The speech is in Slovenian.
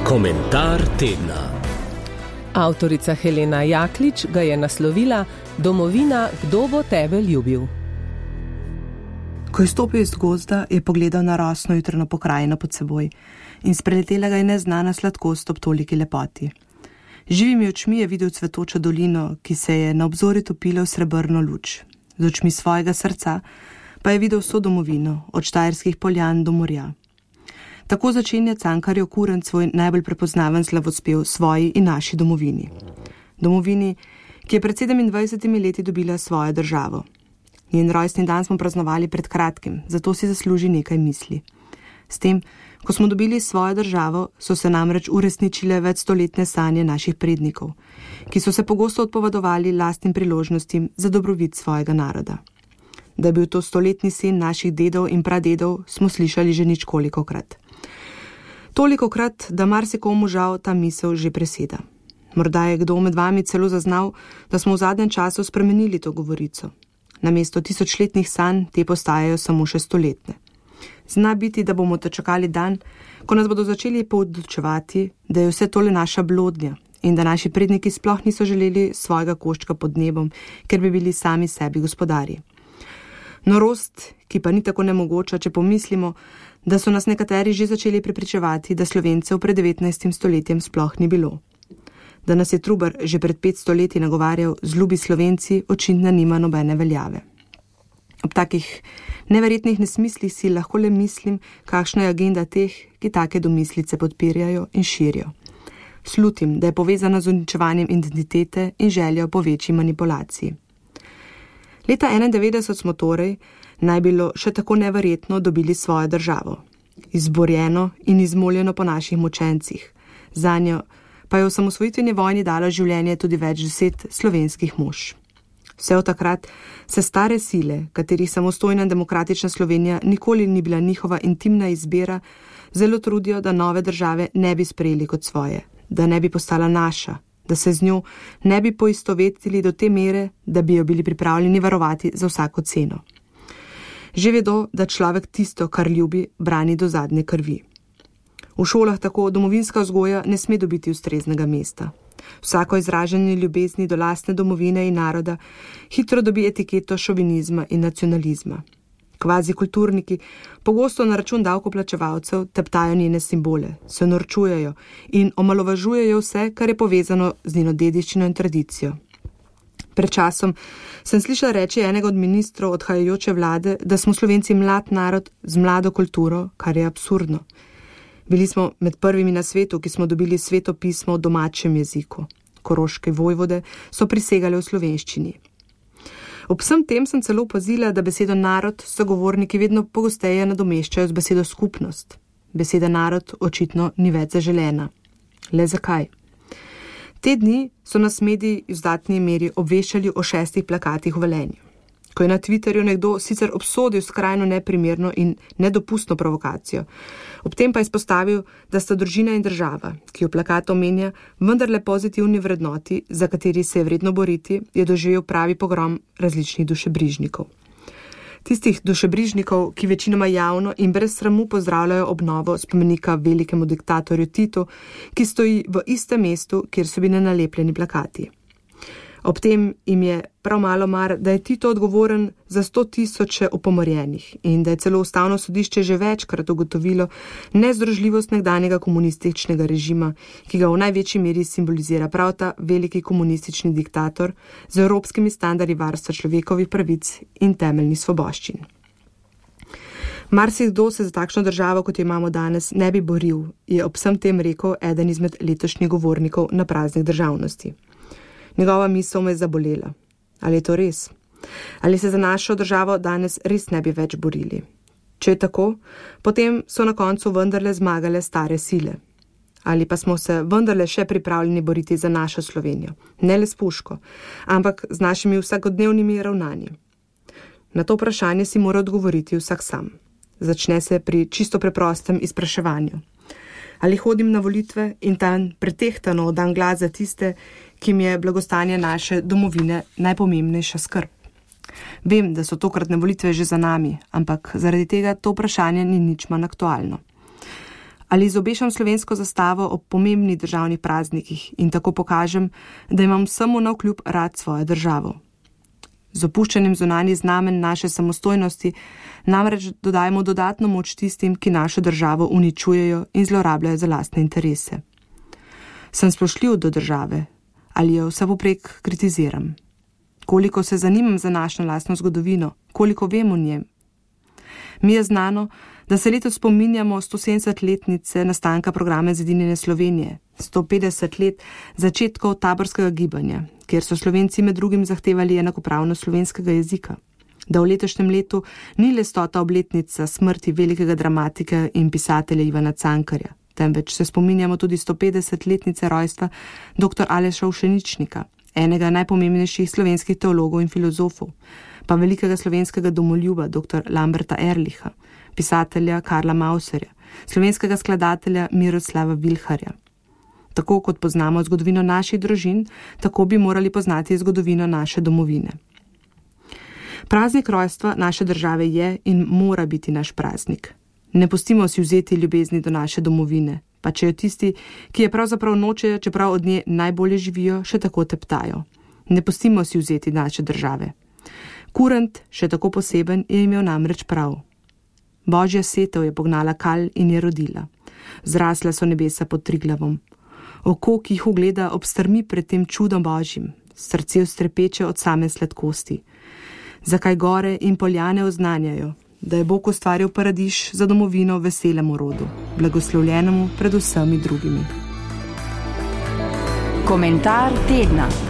Komentar tedna. Avtorica Helena Jaklič ga je naslovila Domovina, kdo bo tebe ljubil? Ko je stopil iz gozda, je pogledal na rosno jutrno pokrajino pod seboj in spreletela ga je neznana sladkost ob toliki lepoti. Živimi očmi je videl cvetočo dolino, ki se je na obzorju topila v srebrno luč. Z očmi svojega srca pa je videl vso domovino, od Štajerskih poljan do morja. Tako začenja Cankarjev Kurent svoj najbolj prepoznaven slavospev svoji in naši domovini. Domovini, ki je pred 27 leti dobila svojo državo. Njen rojstni dan smo praznovali pred kratkim, zato si zasluži nekaj misli. S tem, ko smo dobili svojo državo, so se namreč uresničile večstoletne sanje naših prednikov, ki so se pogosto odpovedovali lastnim priložnostim za dobrobit svojega naroda. Da je bil to stoletni sin naših dedov in pradedov, smo slišali že ničkolikokrat. Tolikokrat, da marsikomu žal ta misel že preseda. Morda je kdo med vami celo zaznal, da smo v zadnjem času spremenili to govorico. Namesto tisočletnih sanj te postajajo samo še stoletne. Zna biti, da bomo dočakali dan, ko nas bodo začeli poodločevati, da je vse tole naša blodnja in da naši predniki sploh niso želeli svojega koščka pod nebom, ker bi bili sami sebi gospodarji. Norost, ki pa ni tako nemogoča, če pomislimo, da so nas nekateri že začeli prepričevati, da Slovencev pred 19. stoletjem sploh ni bilo. Da nas je Trubar že pred 500 leti nagovarjal z ljubi Slovenci, očitno nima nobene veljave. Ob takih neverjetnih nesmislih si lahko le mislim, kakšna je agenda teh, ki take domislice podpirajo in širijo. Slutim, da je povezana z uničevanjem identitete in željo po večji manipulaciji. Leta 1991 smo torej, naj bilo še tako neverjetno, dobili svojo državo. Izborjeno in izmoljeno po naših močencih. Zanjo pa je v osamosvojitveni vojni dalo življenje tudi več 10 slovenskih mož. Vse od takrat se stare sile, katerih samostojna in demokratična Slovenija nikoli ni bila njihova intimna izbira, zelo trudijo, da nove države ne bi sprejeli kot svoje, da ne bi postala naša, da se z njo ne bi poistovetili do te mere, da bi jo bili pripravljeni varovati za vsako ceno. Že vedo, da človek tisto, kar ljubi, brani do zadnje krvi. V šolah tako domovinska vzgoja ne sme dobiti ustreznega mesta. Vsako izražanje ljubezni do lastne domovine in naroda hitro dobi etiketo šovinizma in nacionalizma. Kvazi kulturniki pogosto na račun davkoplačevalcev teptajo njene simbole, se norčujejo in omalovažujejo vse, kar je povezano z njeno dediščino in tradicijo. Pred časom sem slišala reči enega od ministrov odhajajoče vlade, da smo Slovenci mlad narod z mlado kulturo, kar je absurdno. Bili smo med prvimi na svetu, ki smo dobili sveto pismo v domačem jeziku. Koroške vojvode so prisegali v slovenščini. Ob vsem tem sem celo opazila, da besedo narod sogovorniki vedno pogosteje nadomeščajo z besedo skupnost. Beseda narod očitno ni več zaželena. Le zakaj? Te dni so nas mediji v izdatni meri obveščali o 6 plakatih v Velenju. Ko je na Twitterju nekdo sicer obsodil skrajno neprimerno in nedopustno provokacijo, ob tem pa izpostavil, da sta družina in država, ki jo plakat omenja, vendarle pozitivni vrednoti, za kateri se je vredno boriti, je doživel pravi pogrom različnih dušebrižnikov. Tistih dušebrižnikov, ki večinoma javno in brez sramu pozdravljajo obnovo spomenika velikemu diktatorju Titu, ki stoji v istem mestu, kjer so bili nalepljeni plakati. Ob tem jim je prav malo mar, da je Tito odgovoren za 100.000 upomorjenih in da je celo Ustavno sodišče že večkrat ugotovilo nezdružljivost nekdanjega komunističnega režima, ki ga v največji meri simbolizira prav ta veliki komunistični diktator z evropskimi standardi varstva človekovih pravic in temeljnih svoboščin. Marsikdo se za takšno državo, kot jo imamo danes, ne bi boril, je ob vsem tem rekel eden izmed letošnjih govornikov na praznik državnosti. Njegova misel me je zabolela. Ali je to res? Ali se za našo državo danes res ne bi več borili? Če je tako, potem so na koncu vendarle zmagale stare sile. Ali pa smo se vendarle še pripravljeni boriti za našo Slovenijo, ne le s puško, ampak z našimi vsakodnevnimi ravnanji. Na to vprašanje si mora odgovoriti vsak sam. Začne se pri čisto preprostem izpraševanju. Ali hodim na volitve in tam pretehtano dam glas za tiste, ki mi je blagostanje naše domovine najpomembnejša skrb. Vem, da so tokratne volitve že za nami, ampak zaradi tega to vprašanje ni nič manj aktualno. Ali izobešam slovensko zastavo ob pomembnih državnih praznikih in tako pokažem, da imam samo navkljub rad svojo državo. Z opuščanjem zunanjih znamen naše samostojnosti namreč dodajemo dodatno moč tistim, ki našo državo uničujejo in zlorabljajo za lastne interese. Sem spoštljiv do države ali jo vsepovprek kritiziram? Koliko se zanimam za našo lastno zgodovino, koliko vem o njem? Mi je znano, da se letos spominjamo 170-letnice nastanka programa Zedinjene Slovenije, 150 let začetkov taborskega gibanja, kjer so Slovenci med drugim zahtevali enakopravnost slovenskega jezika. Da v letošnjem letu ni le 100. obletnica smrti velikega dramatika in pisatelja Ivana Cankarja, temveč se spominjamo tudi 150-letnice rojstva dr. Aleša Ušeničnika, enega najpomembnejših slovenskih teologov in filozofov, pa velikega slovenskega domoljuba dr. Lamberta Erlicha, pisatelja Karla Mauserja, slovenskega skladatelja Miroslava Vilharja. Tako kot poznamo zgodovino naših družin, tako bi morali poznati zgodovino naše domovine. Praznik rojstva naše države je in mora biti naš praznik. Ne pustimo si vzeti ljubezni do naše domovine, pa če jo tisti, ki je pravzaprav nočejo, čeprav od nje najbolje živijo, še tako teptajo. Ne pustimo si vzeti naše države. Kurent, še tako poseben, je imel namreč prav. Božja setev je pognala kal in je rodila. Zrasla so nebesa pod Triglavom. Oko, ki jih ugleda, obstrmi pred tem čudom Božjim, srce ustrepeče od same sladkosti. Zakaj gore in poljane oznanjajo, da je Bog ustvaril paradiž za domovino veselemu rodu, blagoslovljenemu pred vsemi drugimi. Komentar tedna.